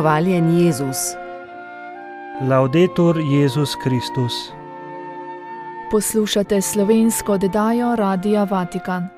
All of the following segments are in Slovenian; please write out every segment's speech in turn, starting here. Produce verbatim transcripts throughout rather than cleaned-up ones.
Hvaljen Jezus. Laudetur Jezus Kristus. Poslušate slovensko oddajo Radia Vatikan.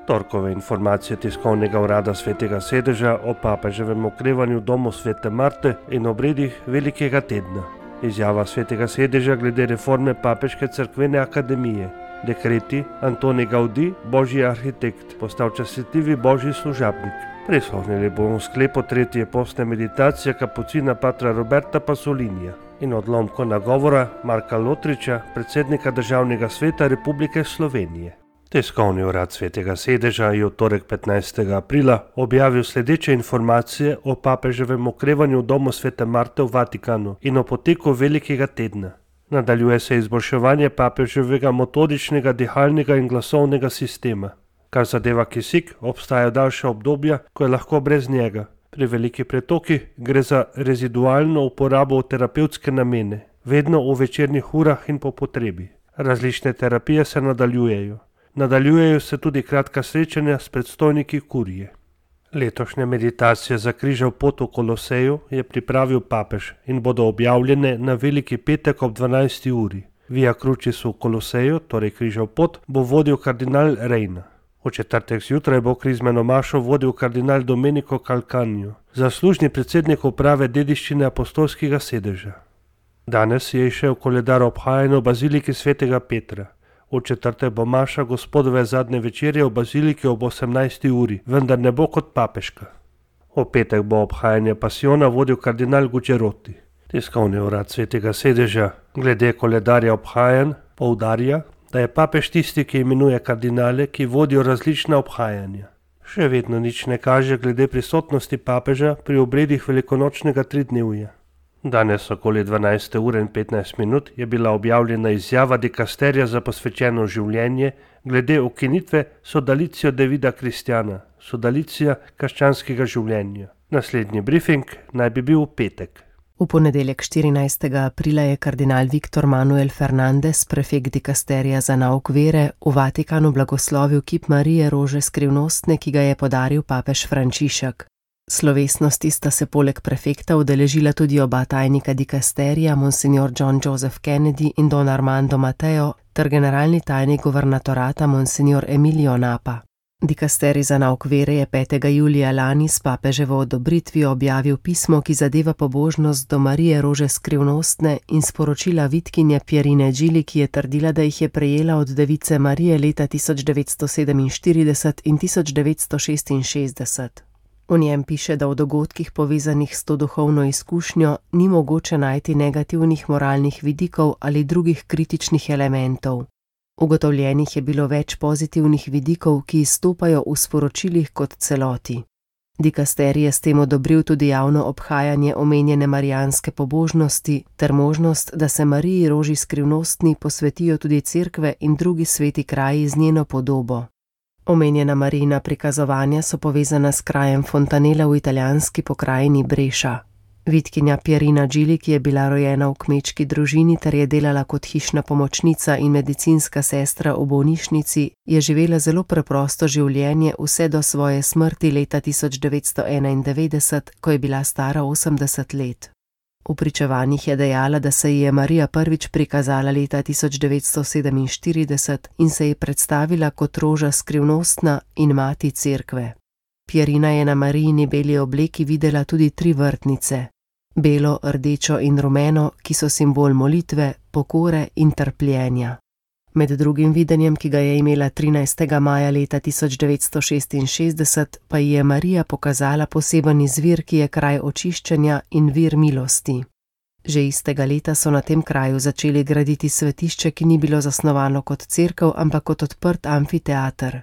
Torkove informacije tiskovnega urada Svetega sedeža o papeževem okrevanju v domu Svete Marte in obredih Velikega tedna. Izjava Svetega sedeža glede reforme Papeške cerkvene akademije. Dekreti Antoni Gaudi, božji arhitekt, postal častitljivi božji služabnik. Prisluhnili bomo sklepu tretje postne meditacije kapucina patra Roberta Pasolinija in odlomko nagovora Marka Lotriča, predsednika Državnega sveta Republike Slovenije. Tiskovni urad Svetega sedeža je v torek petnajstega aprila objavil sledeče informacije o papeževem okrevanju v domu Svete Marte v Vatikanu in o poteku Velikega tedna. Nadaljuje se izboljševanje papeževega metodičnega, dihalnega in glasovnega sistema. Kar zadeva kisik, obstajajo daljša obdobja, ko je lahko brez njega. Pri velikih pretokih gre za rezidualno uporabo v terapevtske namene, vedno v večernih urah in po potrebi. Različne terapije se nadaljujejo. Nadaljujejo se tudi kratka srečanja s predstojniki kurije. Letošnja meditacija za križev pot v Koloseju je pripravil papež in bodo objavljene na Veliki petek ob dvanajsti uri. Via Crucis v Koloseju, torej križev pot, bo vodil kardinal Reina. V četrtek zjutraj bo krizmeno mašo vodil kardinal Domenico Calcagno, zaslužni predsednik uprave dediščine apostolskega sedeža. Danes je išel koledar obhajanja v baziliki Svetega Petra. V četrtek bo maša Gospodove zadnje večerje v baziliki ob osemnajsti uri, vendar ne bo kot papeška. V petek bo obhajanje pasiona vodil kardinal Gucciaroti. Tiskovni urad Svetega sedeža glede koledarja obhajanj poudarja, da je papež tisti, ki imenuje kardinale, ki vodijo različna obhajanja. Še vedno nič ne kaže glede prisotnosti papeža pri obredih velikonočnega tridnevja. Danes okoli dvanajste ure in petnajst minut je bila objavljena izjava dikasterja za posvečeno življenje glede ukinitve sodalicio de vida kristjana, sodalicija krščanskega življenja. Naslednji briefing naj bi bil v petek. V ponedeljek štirinajstega aprila je kardinal Viktor Manuel Fernandez, prefekt dikasterija za nauk vere, v Vatikanu blagoslovil kip Marije Rože Skrivnostne, ki ga je podaril papež Frančišek. Slovesnosti sta se poleg prefekta udeležila tudi oba tajnika dikasterija, monsignor John Joseph Kennedy in don Armando Mateo, ter generalni tajnik guvernatorata monsignor Emilio Napa. Dikasterij za nauk vere je petega julija lani s papeževo odobritvijo objavil pismo, ki zadeva pobožnost do Marije Rože Skrivnostne in sporočila vitkinje Pierine Gili, ki je trdila, da jih je prejela od device Marije leta tisoč devetsto sedeminštirideset in tisoč devetsto šestinšestdeset. V njem piše, da v dogodkih povezanih s to duhovno izkušnjo ni mogoče najti negativnih moralnih vidikov ali drugih kritičnih elementov. Ugotovljenih je bilo več pozitivnih vidikov, ki izstopajo v sporočilih kot celoti. Dikasterij je s tem odobril tudi javno obhajanje omenjene marijanske pobožnosti ter možnost, da se Mariji Roži Skrivnostni posvetijo tudi cerkve in drugi sveti kraji z njeno podobo. Omenjena Marijina prikazovanja so povezana s krajem Fontanella v italijanski pokrajini Breša. Vitkinja Pierina Gili, ki je bila rojena v kmečki družini ter je delala kot hišna pomočnica in medicinska sestra v bolnišnici, je živela zelo preprosto življenje vse do svoje smrti leta tisoč devetsto enaindevetdeset, ko je bila stara osemdeset let. V pričevanjih je dejala, da se ji je Marija prvič prikazala leta tisoč devetsto sedeminštirideset in se ji predstavila kot Roža Skrivnostna in mati cerkve. Pierina je na Marijini beli obleki videla tudi tri vrtnice. Belo, rdečo in rumeno, ki so simbol molitve, pokore in trpljenja. Med drugim videnjem, ki ga je imela trinajstega maja leta tisoč devetsto šestinšestdeset, pa ji je Marija pokazala poseben izvir, ki je kraj očiščenja in vir milosti. Že istega leta so na tem kraju začeli graditi svetišče, ki ni bilo zasnovano kot cerkev, ampak kot odprt amfiteater.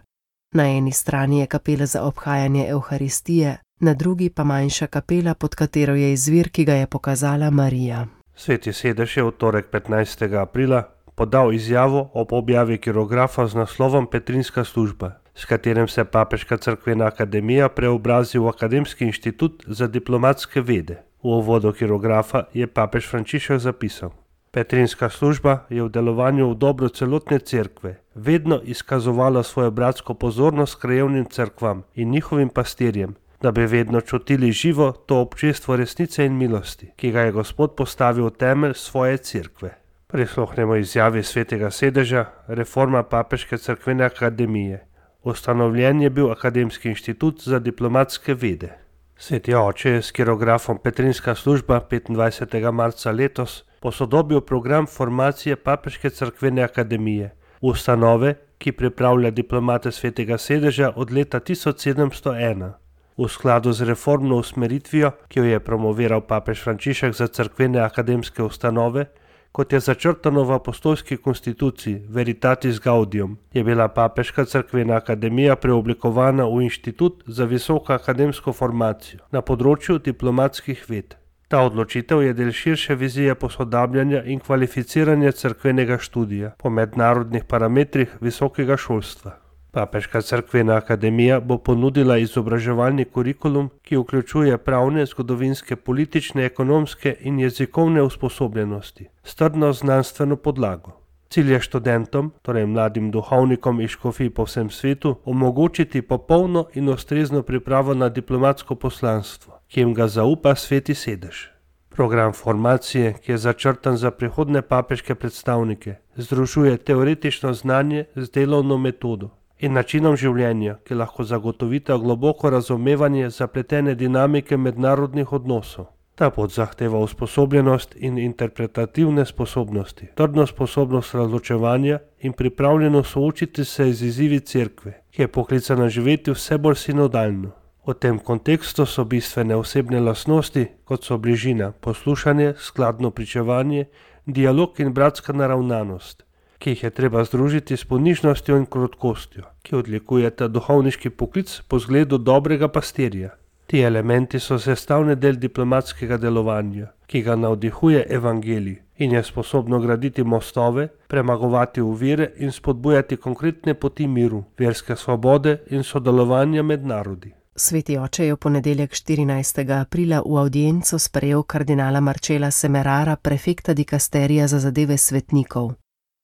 Na eni strani je kapela za obhajanje Evharistije, na drugi pa manjša kapela, pod katero je izvir, ki ga je pokazala Marija. Sveti sedež je v torek petnajstega aprila podal izjavo ob objavi kirografa z naslovom Petrinska služba, s katerim se Papeška cerkvena akademija preobrazi v Akademski inštitut za diplomatske vede. V uvodu kirografa je papež Frančišek zapisal: Petrinska služba je v delovanju v dobro celotne cerkve vedno izkazovala svojo bratsko pozornost krajevnim cerkvam in njihovim pastirjem, da bi vedno čutili živo to občestvo resnice in milosti, ki ga je Gospod postavil v temelj svoje cerkve. Prisluhnemo izjavi Svetega sedeža, reforma Papeške cerkvene akademije. Ustanovljen je bil Akademski inštitut za diplomatske vede. Sveti oče je s kirografom Petrinska služba petindvajsetega marca letos posodobil program formacije Papeške cerkvene akademije, ustanove, ki pripravlja diplomate Svetega sedeža od leta tisoč sedemsto ena. V skladu z reformno usmeritvijo, ki jo je promoviral papež Frančišek za cerkvene akademske ustanove, kot je začrtano v apostolski konstituciji Veritatis Gaudium, je bila Papeška cerkvena akademija preoblikovana v inštitut za visoko akademsko formacijo na področju diplomatskih ved. Ta odločitev je del širše vizije posodabljanja in kvalificiranja cerkvenega študija po mednarodnih parametrih visokega šolstva. Papeška cerkvena akademija bo ponudila izobraževalni kurikulum, ki vključuje pravne, zgodovinske, politične, ekonomske in jezikovne usposobljenosti, s trdno znanstveno podlago. Cilj je študentom, torej mladim duhovnikom iz škofij po vsem svetu, omogočiti popolno in ustrezno pripravo na diplomatsko poslanstvo, ki jim ga zaupa Sveti sedež. Program formacije, ki je začrtan za prihodne papeške predstavnike, združuje teoretično znanje z delovno metodo in načinom življenja, ki lahko zagotovita globoko razumevanje zapletene dinamike mednarodnih odnosov. Ta pot zahteva usposobljenost in interpretativne sposobnosti, trdno sposobnost razločevanja in pripravljenost soočiti se z izzivi cerkve, ki je poklicana živeti vse bolj sinodalno. V tem kontekstu so bistvene osebne lastnosti, kot so bližina, poslušanje, skladno pričevanje, dialog in bratska naravnanost, ki jih je treba združiti s ponižnostjo in krotkostjo, ki odlikujeta duhovniški poklic po zgledu dobrega pastirja. Ti elementi so sestavni del diplomatskega delovanja, ki ga navdihuje evangelij in je sposobno graditi mostove, premagovati ovire in spodbujati konkretne poti miru, verske svobode in sodelovanja med narodi. Sveti oče je v ponedeljek štirinajstega aprila v avdienco sprejel kardinala Marcela Semerara, prefekta dikasterija za zadeve svetnikov.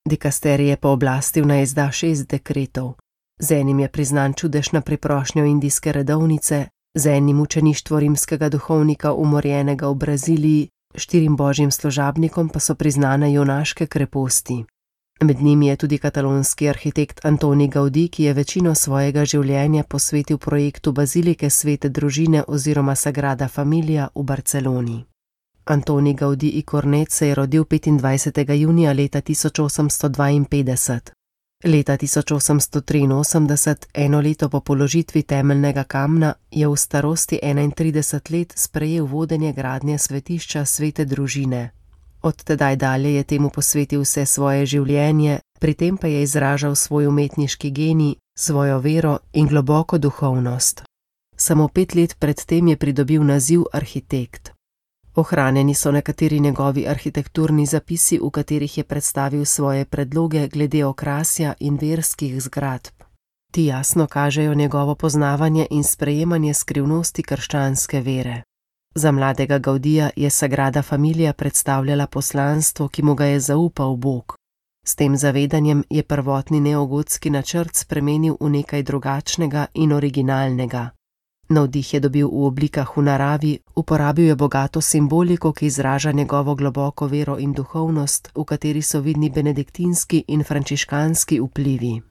Dikasterij je pooblastil naj izda šest dekretov. Z enim je priznan čudež na priprošnjo indijske redovnice, z enim učeništvo rimskega duhovnika umorjenega v Braziliji, štirim božjim služabnikom pa so priznane junaške kreposti. Med njimi je tudi katalonski arhitekt Antoni Gaudí, ki je večino svojega življenja posvetil projektu bazilike Svete družine oziroma Sagrada Familia v Barceloni. Antoni Gaudí i Cornet se je rodil petindvajsetega junija leta tisoč osemsto dvainpetdeset. Leta tisoč osemsto triinosemdeset, eno leto po položitvi temeljnega kamna, je v starosti enaintrideset let sprejel vodenje gradnje svetišča Svete družine. Od tedaj dalje je temu posvetil vse svoje življenje, pri tem pa je izražal svoj umetniški genij, svojo vero in globoko duhovnost. Samo pet let pred tem je pridobil naziv arhitekt. Ohranjeni so nekateri njegovi arhitekturni zapisi, v katerih je predstavil svoje predloge glede okrasja in verskih zgradb. Ti jasno kažejo njegovo poznavanje in sprejemanje skrivnosti krščanske vere. Za mladega Gaudija je Sagrada Familia predstavljala poslanstvo, ki mu ga je zaupal Bog. S tem zavedanjem je prvotni neogotski načrt spremenil v nekaj drugačnega in originalnega. Navdih je dobil v oblikah v naravi, uporabil je bogato simboliko, ki izraža njegovo globoko vero in duhovnost, v kateri so vidni benediktinski in frančiškanski vplivi.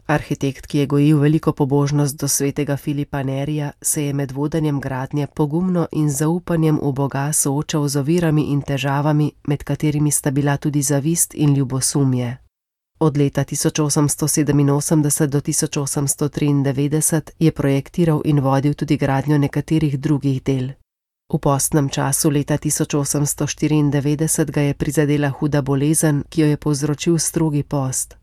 Arhitekt, ki je gojil veliko pobožnost do svetega Filipa Nerija, se je med vodenjem gradnje pogumno in zaupanjem v Boga soočal z ovirami in težavami, med katerimi sta bila tudi zavist in ljubosumje. Od leta tisoč osemsto sedeminosemdeset do tisoč osemsto triindevetdeset je projektiral in vodil tudi gradnjo nekaterih drugih del. V postnem času leta tisoč osemsto štiriindevetdeset ga je prizadela huda bolezen, ki jo je povzročil strogi post.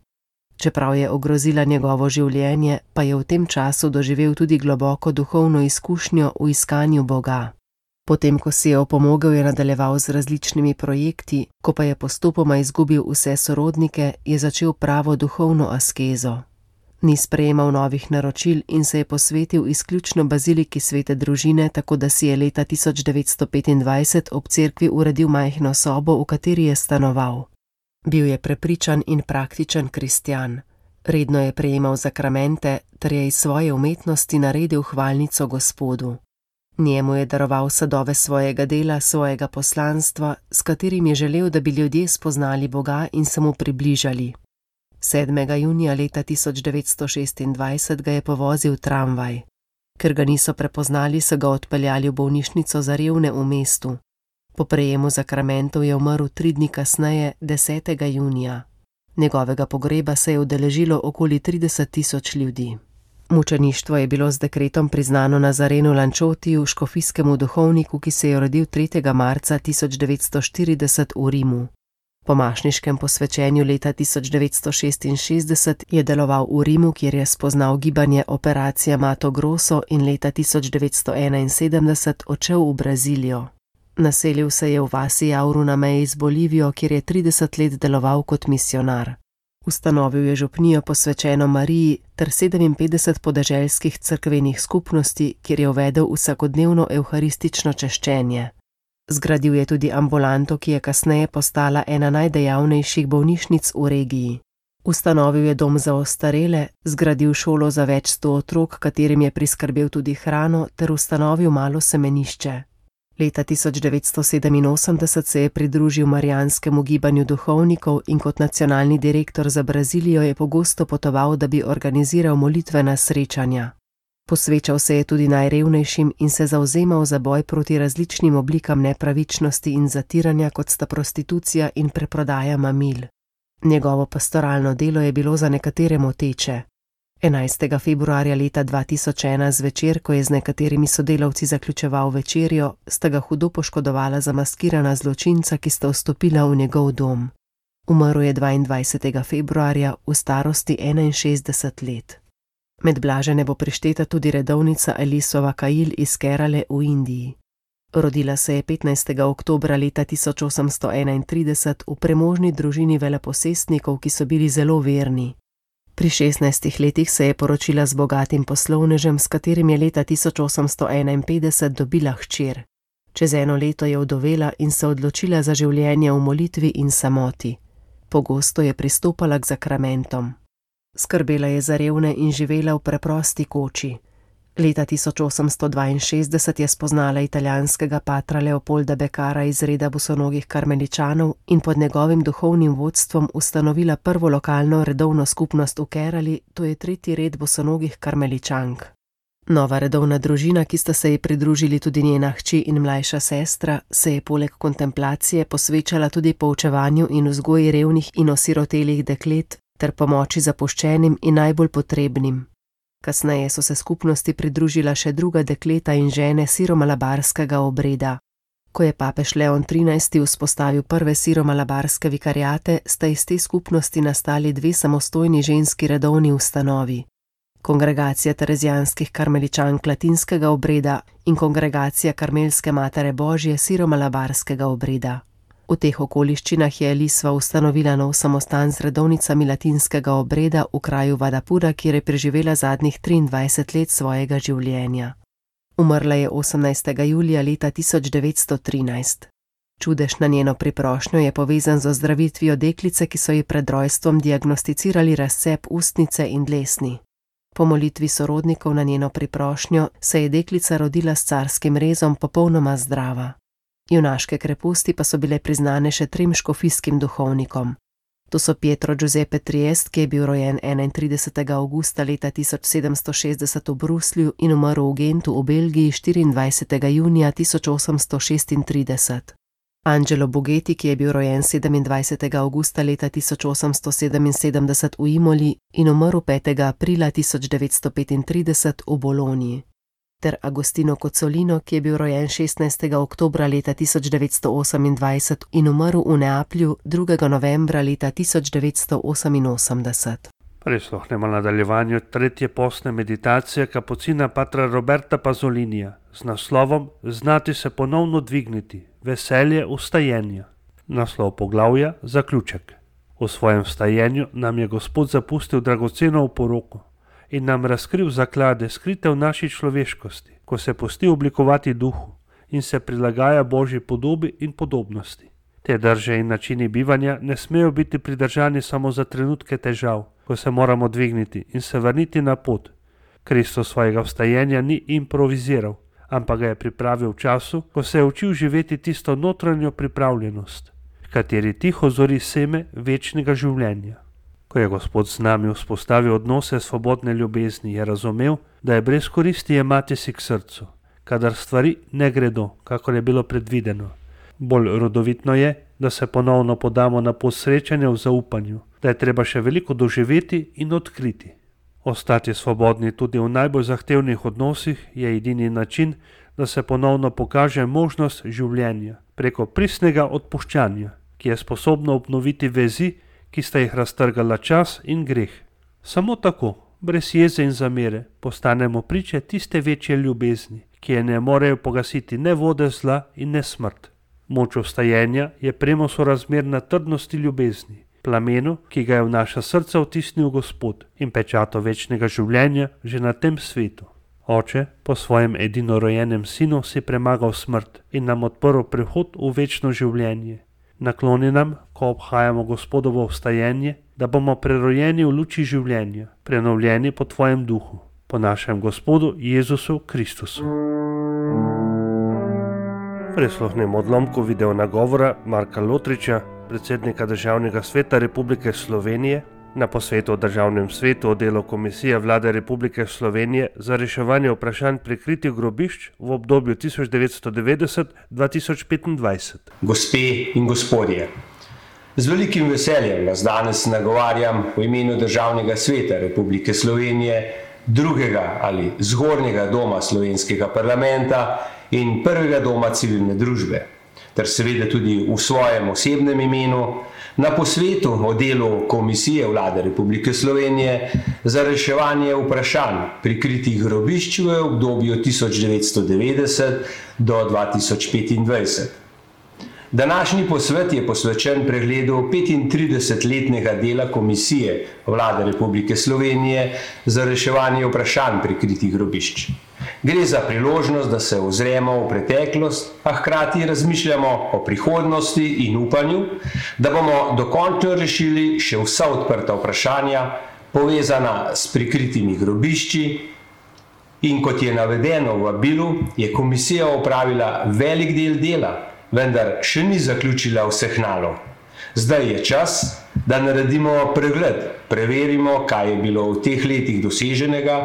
Čeprav je ogrozila njegovo življenje, pa je v tem času doživel tudi globoko duhovno izkušnjo v iskanju Boga. Potem, ko si je opomogel, je nadaljeval z različnimi projekti, ko pa je postopoma izgubil vse sorodnike, je začel pravo duhovno askezo. Ni sprejemal novih naročil in se je posvetil izključno baziliki Svete družine, tako da si je leta tisoč devetsto petindvajset ob cerkvi uredil majhno sobo, v kateri je stanoval. Bil je prepričan in praktičen kristjan. Redno je prejemal zakramente ter je iz svoje umetnosti naredil hvalnico Gospodu. Njemu je daroval sadove svojega dela, svojega poslanstva, s katerim je želel, da bi ljudje spoznali Boga in se mu približali. sedmega junija leta tisoč devetsto šestindvajset ga je povozil tramvaj. Ker ga niso prepoznali, so ga odpeljali v bolnišnico za revne v mestu. Po prejemu zakramentov je umrl tri dni kasneje, desetega junija. Njegovega pogreba se je udeležilo okoli trideset tisoč ljudi. Mučeništvo je bilo z dekretom priznano Nazarenu Lančotiju, škofijskemu duhovniku, ki se je rodil tretjega marca tisoč devetsto štirideset v Rimu. Po mašniškem posvečenju leta tisoč devetsto šestinšestdeset je deloval v Rimu, kjer je spoznal gibanje Operacija Mato Grosso in leta tisoč devetsto enainsedemdeset odšel v Brazilijo. Naselil se je v vasi Jauru na meji z Bolivijo, kjer je trideset let deloval kot misionar. Ustanovil je župnijo posvečeno Mariji ter sedeminpetdeset podeželskih cerkvenih skupnosti, kjer je uvedel vsakodnevno evharistično češčenje. Zgradil je tudi ambulanto, ki je kasneje postala ena najdejavnejših bolnišnic v regiji. Ustanovil je dom za ostarele, zgradil šolo za več sto otrok, katerim je priskrbel tudi hrano, ter ustanovil malo semenišče. Leta tisoč devetsto sedeminosemdeset se je pridružil marijanskemu gibanju duhovnikov in kot nacionalni direktor za Brazilijo je pogosto potoval, da bi organiziral molitvena srečanja. Posvečal se je tudi najrevnejšim in se zavzemal za boj proti različnim oblikam nepravičnosti in zatiranja, kot sta prostitucija in preprodaja mamil. Njegovo pastoralno delo je bilo za nekatere moteče. enajstega februarja leta dva tisoč ena zvečer, ko je z nekaterimi sodelavci zaključeval večerjo, sta ga hudo poškodovala zamaskirana zločinca, ki sta vstopila v njegov dom. Umrl je dvaindvajsetega februarja v starosti enainšestdeset let. Med blažene bo prišteta tudi redovnica Elisova Kail iz Kerale v Indiji. Rodila se je petnajstega oktobra leta tisoč osemsto enaintrideset v premožni družini veleposestnikov, ki so bili zelo verni. Pri šestnajstih letih se je poročila z bogatim poslovnežem, s katerim je leta tisoč osemsto enainpetdeset dobila hčer. Čez eno leto je vdovela in se odločila za življenje v molitvi in samoti. Pogosto je pristopala k zakramentom. Skrbela je za revne in živela v preprosti koči. Leta tisoč osemsto dvainšestdeset je spoznala italijanskega patra Leopolda Bekara iz reda bosonogih karmeličanov in pod njegovim duhovnim vodstvom ustanovila prvo lokalno redovno skupnost v Kerali, to je tretji red bosonogih karmeličank. Nova redovna družina, ki sta se ji pridružili tudi njena hči in mlajša sestra, se je poleg kontemplacije posvečala tudi poučevanju in vzgoji revnih in osirotelih deklet ter pomoči zapuščenim in najbolj potrebnim. Kasneje so se skupnosti pridružila še druga dekleta in žene siromalabarskega obreda. Ko je papež Leon trinajsti vzpostavil prve siromalabarske vikariate, sta iz te skupnosti nastali dve samostojni ženski redovni ustanovi. Kongregacija terezijanskih karmeličank latinskega obreda in kongregacija karmelske matere Božje siromalabarskega obreda. V teh okoliščinah je Elisva ustanovila nov samostan z redovnicami latinskega obreda v kraju Vadapura, kjer je preživela zadnjih triindvajset let svojega življenja. Umrla je osemnajstega julija leta tisoč devetsto trinajst. Čudež na njeno priprošnjo je povezan z ozdravitvijo deklice, ki so ji pred rojstvom diagnosticirali razcep ustnice in dlesni. Po molitvi sorodnikov na njeno priprošnjo se je deklica rodila s carskim rezom popolnoma zdrava. Junaške kreposti pa so bile priznane še trem škofijskim duhovnikom. To so Pietro Giuseppe Triest, ki je bil rojen enaintridesetega avgusta leta tisoč sedemsto šestdeset v Bruslju in umrl v Gentu v Belgiji štiriindvajsetega junija tisoč osemsto šestintrideset. Angelo Bugeti, ki je bil rojen sedemindvajsetega avgusta leta tisoč osemsto sedeminsedemdeset v Imoli in umrl petega aprila tisoč devetsto petintrideset v Bologni. Ter Agostino Cozzolino, ki je bil rojen šestnajstega oktobra leta tisoč devetsto osemindvajset in umrl v Neaplju drugega novembra leta tisoč devetsto oseminosemdeset. Prisluhnemo nadaljevanju tretje postne meditacije kapucina patra Roberta Pazolinija z naslovom Znati se ponovno dvigniti, veselje vstajenja. Naslov poglavja zaključek. V svojem vstajenju nam je Gospod zapustil dragoceno oporoko in nam razkril zaklade skrite v naši človeškosti, ko se pusti oblikovati duhu in se prilagaja Božji podobi in podobnosti. Te drže in načini bivanja ne smejo biti pridržani samo za trenutke težav, ko se moramo dvigniti in se vrniti na pot. Kristus svojega vstajenja ni improviziral, ampak ga je pripravil v času, ko se je učil živeti tisto notranjo pripravljenost, v kateri tiho zori seme večnega življenja. Ko je Gospod z nami vzpostavil odnose svobodne ljubezni, je razumel, da je brez koristi jemati si k srcu, kadar stvari ne gredo, kakor je bilo predvideno. Bolj rodovitno je, da se ponovno podamo na pot srečanja v zaupanju, da je treba še veliko doživeti in odkriti. Ostati svobodni tudi v najbolj zahtevnih odnosih je edini način, da se ponovno pokaže možnost življenja preko pristnega odpuščanja, ki je sposobno obnoviti vezi, ki sta jih raztrgala čas in greh. Samo tako, brez jeze in zamere, postanemo priče tiste večje ljubezni, ki je ne morejo pogasiti ne vode zla in ne smrt. Moč vstajenja je premo sorazmerna trdnosti ljubezni, plamenu, ki ga je v naša srca vtisnil Gospod in pečato večnega življenja že na tem svetu. Oče po svojem edinorojenem sinu si premagal smrt in nam odprl prehod v večno življenje. Nakloni nam, ko obhajamo Gospodovo vstajenje, da bomo prerojeni v luči življenja, prenovljeni po tvojem duhu, po našem Gospodu Jezusu Kristusu. Prisluhnimo odlomku video nagovora Marka Lotriča, predsednika Državnega sveta Republike Slovenije, na posvetu o Državnem svetu o delu Komisije Vlade Republike Slovenije za reševanje vprašanj prikritih grobišč v obdobju tisoč devetsto devetdeset do dva tisoč petindvajset. Gospe in gospodje, z velikim veseljem vas danes nagovarjam v imenu Državnega sveta Republike Slovenije, drugega ali zgornjega doma slovenskega parlamenta in prvega doma civilne družbe, ter seveda tudi v svojem osebnem imenu, na posvetu o delu Komisije Vlade Republike Slovenije za reševanje vprašanj prikritih grobišč v obdobju tisoč devetsto devetdeset do dva tisoč petindvajset. Današnji posvet je posvečen pregledu petintridesetletnega dela Komisije Vlade Republike Slovenije za reševanje vprašanj prikritih grobišč. Gre za priložnost, da se ozremo v preteklost, a hkrati razmišljamo o prihodnosti in upanju, da bomo dokončno rešili še vsa odprta vprašanja, povezana s prikritimi grobišči. In kot je navedeno v vabilu, je komisija opravila velik del dela, vendar še ni zaključila vseh nalog. Zdaj je čas, da naredimo pregled, preverimo, kaj je bilo v teh letih doseženega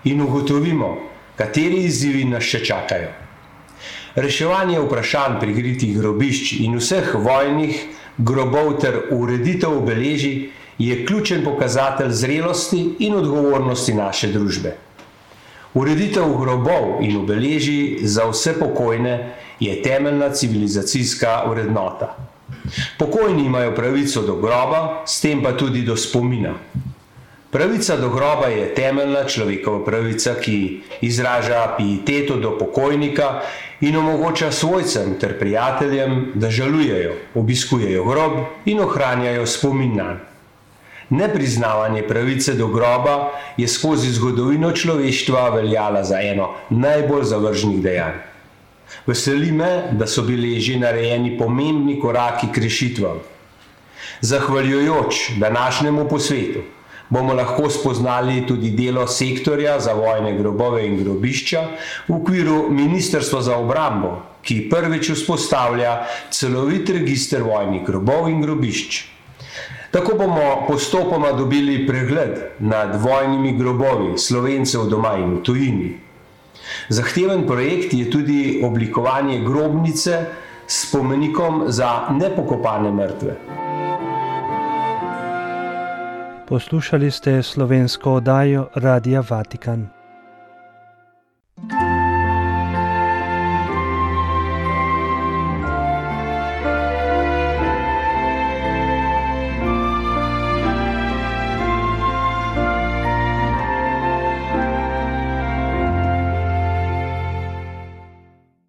in ugotovimo, kateri izzivi nas še čakajo. Reševanje vprašanj prikritih grobišč in vseh vojnih grobov ter ureditev obeležij je ključen pokazatelj zrelosti in odgovornosti naše družbe. Ureditev grobov in obeležij za vse pokojne je temeljna civilizacijska vrednota. Pokojni imajo pravico do groba, s tem pa tudi do spomina. Pravica do groba je temeljna človekova pravica, ki izraža pieteto do pokojnika in omogoča svojcem ter prijateljem, da žalujejo, obiskujejo grob in ohranjajo spomin nanj. Nepriznavanje pravice do groba je skozi zgodovino človeštva veljala za eno najbolj zavržnih dejanj. Veseli me, da so bili že narejeni pomembni koraki k rešitvam. Zahvaljujoč današnjemu posvetu bomo lahko spoznali tudi delo sektorja za vojne grobove in grobišča v okviru Ministrstva za obrambo, ki prvič vzpostavlja celovit register vojnih grobov in grobišč. Tako bomo postopoma dobili pregled nad vojnimi grobovi Slovencev doma in v tujini. Zahteven projekt je tudi oblikovanje grobnice s spomenikom za nepokopane mrtve. Poslušali ste slovensko oddajo Radia Vatikan.